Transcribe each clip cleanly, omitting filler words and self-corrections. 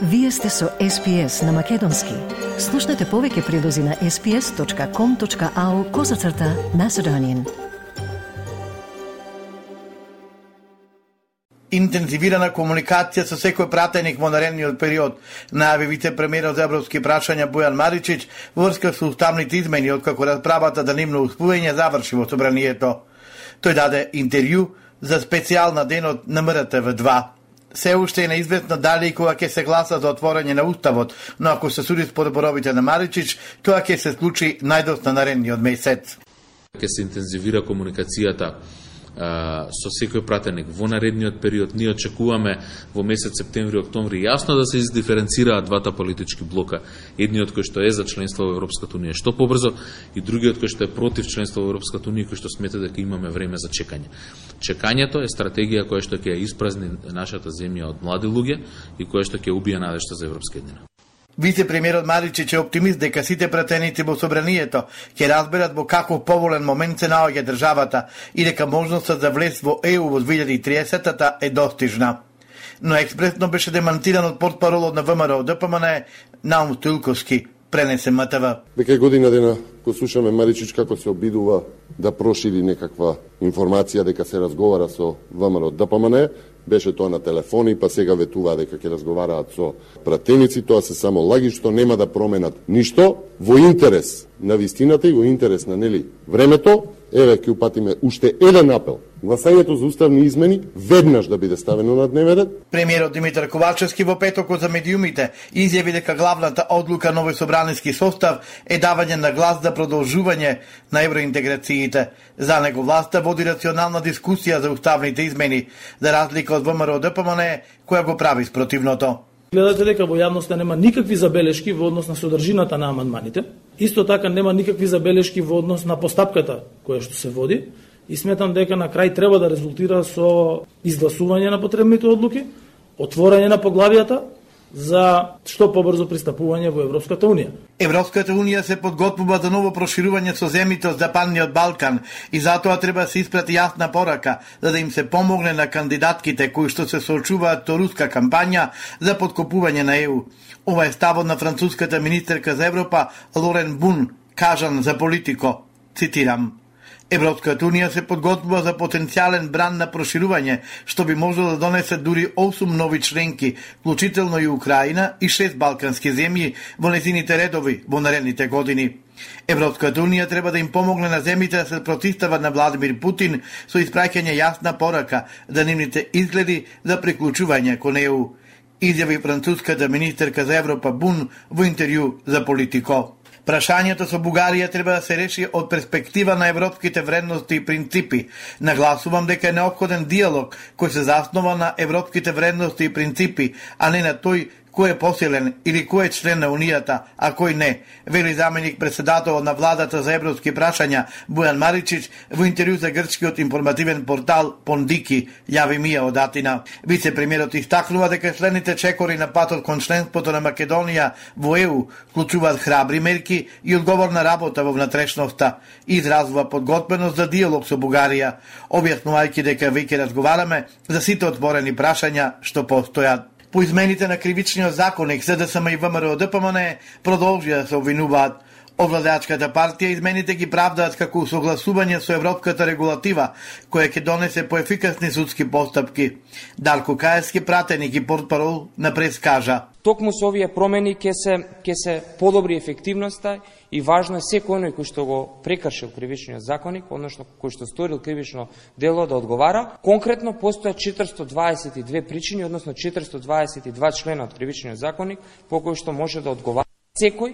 Вие сте со SPS на Македонски. Слушнете повеќе прилози на sps.com.au/Macedonian. Интензивирана комуникација со секој пратеник во наредниот период, најави вице-премиерот за европски прашања Бојан Маричич во врска со уставните измени откако расправата за нивно успување заврши во собранието. Тој даде интервју за специјална денот на МРТВ2. Се уште е неизвестно дали и кога ќе се гласа за отворање на уставот, но ако се суди според зборовите на Маричич, тоа ќе се случи најдоста наредниот месец. Ќе се интензивира комуникацијата со секој пратеник во наредниот период. Ние очекуваме во месец септември, октомври јасно да се издиференцираат двата политички блока. Едниот кој што е за членство во Европската унија што побрзо и другиот кој што е против членство во Европската унија, кој што смета дека имаме време за чекање. Чекањето е стратегија која што ќе ја испразни нашата земја од млади луѓе и која што ќе убие надежта за европска еднина. Вице-премиерот Маричич е оптимист дека сите пратеници во собранието ќе разберат во каков поволен момент се наоѓа државата и дека можноста за влез во ЕУ во 2030-та е достижна. Но експресно беше демантиран од портпаролот на ВМРО ДПМН Наум Стоилковски, пренесе МТВ. Дека година дена го слушаме Маричич како се обидува да прошири некаква информација дека се разговара со ВМРО ДПМН. Беше тоа на телефони, па сега ветуваа дека ќе разговараат со пратеници. Тоа се само лаги што нема да променат ништо во интерес на вистината и во интерес на времето. Еве ќе упатиме уште еден апел. Гласањето за уставни измени веднаш да биде ставено на дневен ред. Премиерот Димитар Ковачевски во петокот за медиумите изјави дека главната одлука на овој собраниски состав е давање на глас за продолжување на евроинтеграциите. За него власта води рационална дискусија за уставните измени, за разлика од ВМРО ДПМН која го прави спротивното. Гледате дека во јавноста нема никакви забелешки во однос на содржината на амандманите. Исто така нема никакви забелешки во однос на постапката која што се води и сметам дека на крај треба да резултира со изгласување на потребните одлуки, отворање на поглавијата за што побрзо пристапување во Европската унија. Европската унија се подготвува за ново проширување со земјите од Западниот Балкан и затоа треба да се испрати јасна порака за да им се помогне на кандидатките кои што се соочуваат со руска кампања за подкопување на ЕУ. Ова е ставот на француската министерка за Европа Лорен Бун, кажан за Политико. Цитирам: Европската унија се подготвува за потенцијален бран на проширување, што би можело да донесе дури 8 нови членки, вклучително и Украина и 6 балкански земји во незините редови во наредните години. Европската унија треба да им помогне на земјите да се противстават на Владимир Путин со испраќање јасна порака за нивните изгледи за приклучување кон ЕУ, изјави француската министерка за Европа Бун во интервју за Политико. Прашањето со Бугарија треба да се реши од перспектива на европските вредности и принципи. Нагласувам дека е неопходен диалог кој се заснова на европските вредности и принципи, а не на тој кој е посилен или кој е член на Унијата, а кој не, вели заменик председател на владата за европски прашања Бојан Маричич во интервју за грчкиот информативен портал Пондики, јави Мија од Атина. Вице-премиерот истакнува дека следните чекори на патот кон членството на Македонија во ЕУ вклучуваат храбри мерки и одговорна работа во внатрешноста и изразува подготвеност за диалог со Бугарија, објаснувајќи дека веќе разговараме за сите отворени прашања што постојат. По измените на кривичниот законник, СДСМ и ВМРО ДПМН продолжија да се обвинуваат. Овладеачката партија измените ги правдаат како согласување со европската регулатива, која ќе донесе поефикасни судски постапки. Дарко Каевски, пратеник и портпарол на прес, кажа: Токму со овие промени ќе се подобри ефективноста и важно е секој оној кој што го прекршил кривичниот законник, односно кој што сторил кривично дело да одговара. Конкретно постојат 422 причини, односно 422 члена од кривичниот законник по кои што може да одговара секој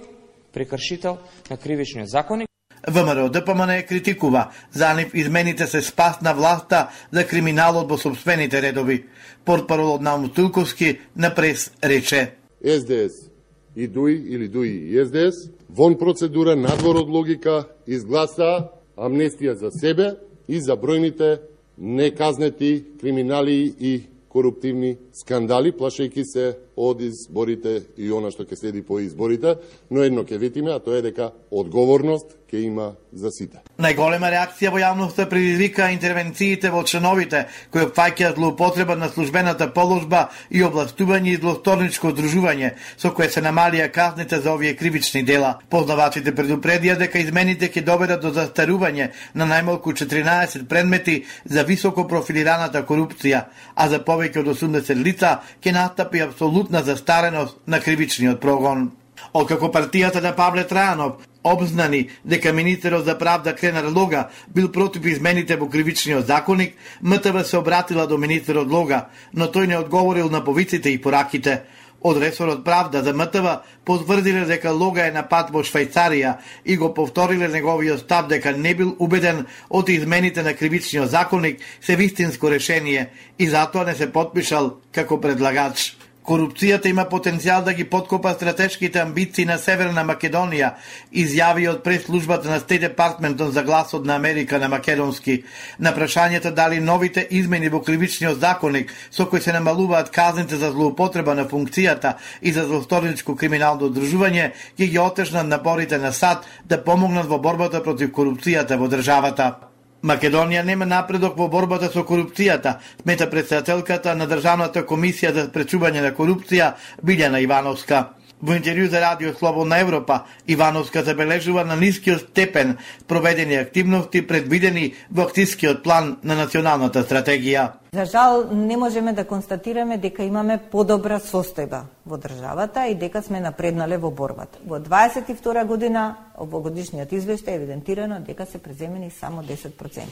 прекршител на кривичниот законник. ВМРО ДПМН критикува за нив измените се спас на власта за криминалот во сопствените редови. Портпаролот Наум Стоилковски на прес рече: СДС и ДУИ или ДУИ и СДС вон процедура надвор од логика изгласа амнестија за себе и за бројните неказнети криминали и коруптивни скандали, плашејќи се од изборите и она што ќе следи по изборите, но едно ќе ветиме, а тоа е дека одговорност ќе има за сите. Најголема реакција во јавноста предизвика интервенциите во членовите кои опфаќаат злоупотреба на службената положба и областување и злосторничко одружување, со кое се намалија казните за овие кривични дела. Познавачите предупредија дека измените ќе доведат до застарување на најмалку 14 предмети за високо профилираната корупција, а за повеќе од 80 лица ќе настапи апсолутна застареност на кривичниот прогон. Откако партијата на Павле Трајанов обзнани дека министерот за правда Кренар Лога бил против измените во кривичниот законник, МТВ се обратила до министерот Лога, но тој не одговорил на повиците и пораките. Од ресорот правда за МТВ потврдиле дека Лога е на пат во Швајцарија и го повториле неговиот став дека не бил убеден од измените на кривичниот законник се вистинско решение и затоа не се потпишал како предлагач. Корупцијата има потенцијал да ги подкопа стратешките амбиции на Северна Македонија, изјави од прес-службата на State Department за гласот на Америка на македонски. На прашањето дали новите измени во кривичниот законник со кои се намалуваат казните за злоупотреба на функцијата и за злосторничко криминално одружување ќе ги отежнат напорите на САД да помогнат во борбата против корупцијата во државата. Македонија нема напредок во борбата со корупцијата, смета претседателката на Државната комисија за спречување на корупција Билјана Ивановска. Во интервју за Радио Слободна Европа, Ивановска забележува на нискиот степен проведени активности предвидени во акцискиот план на националната стратегија. За жал, не можеме да констатираме дека имаме подобра состојба во државата и дека сме напреднале во борбата. Во 22 година, во годишниот извештај е евидентирано дека се преземени само 10%.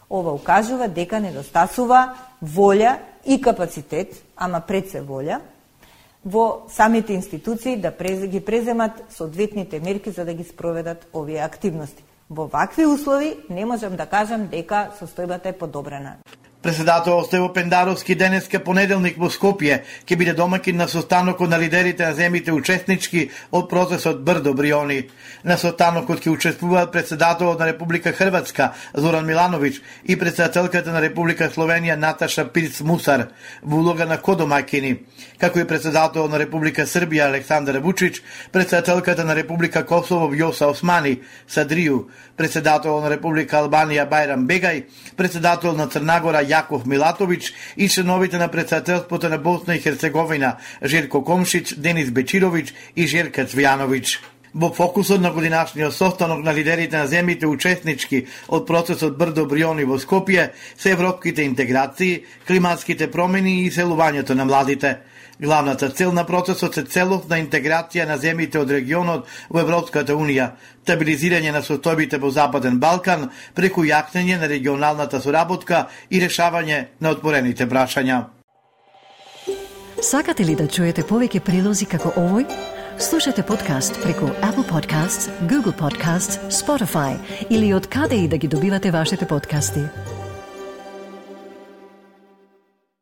Ова укажува дека недостасува волја и капацитет, ама пред се волја, во самите институции да ги преземат соодветните мерки за да ги спроведат овие активности. Во вакви услови не можам да кажам дека состојбата е подобрена. Председател Стево Пендаровски денеска понеделник во Скопје ќе биде домаќин на состанокот на лидерите на земјите учеснички од процесот Брдо Бриони. На состанокот ќе учествуваат председателот на Република Хрватска Зоран Милановиќ и председателката на Република Словенија Наташа Пирц Мусар во улога на кодомаќини, како и председателот на Република Србија Александар Вучич, председателката на Република Косово Вјоса Османи Садрију, председателот на Република Албанија Бајрам Бегај, председател на Црна Јаков Милатовиќ и членовите на председателството на Босна и Херцеговина Желко Комшиќ, Денис Бечировиќ и Желка Цвјановиќ. Во фокусот на годинашниот состанок на лидерите на земјите учеснички од процесот Брдо Бриони во Скопје се европските интеграции, климатските промени и селувањето на младите. Главната цел на процесот е целосна интеграција на земјите од регионот во Европската Унија, стабилизирање на состојбите во Западен Балкан преку јакнење на регионалната соработка и решавање на отворените прашања. Сакате ли да чуете повеќе прилози како овој? Слушате подкаст преку Apple Podcasts, Google Podcasts, Spotify или од каде и да ги добивате вашите подкасти.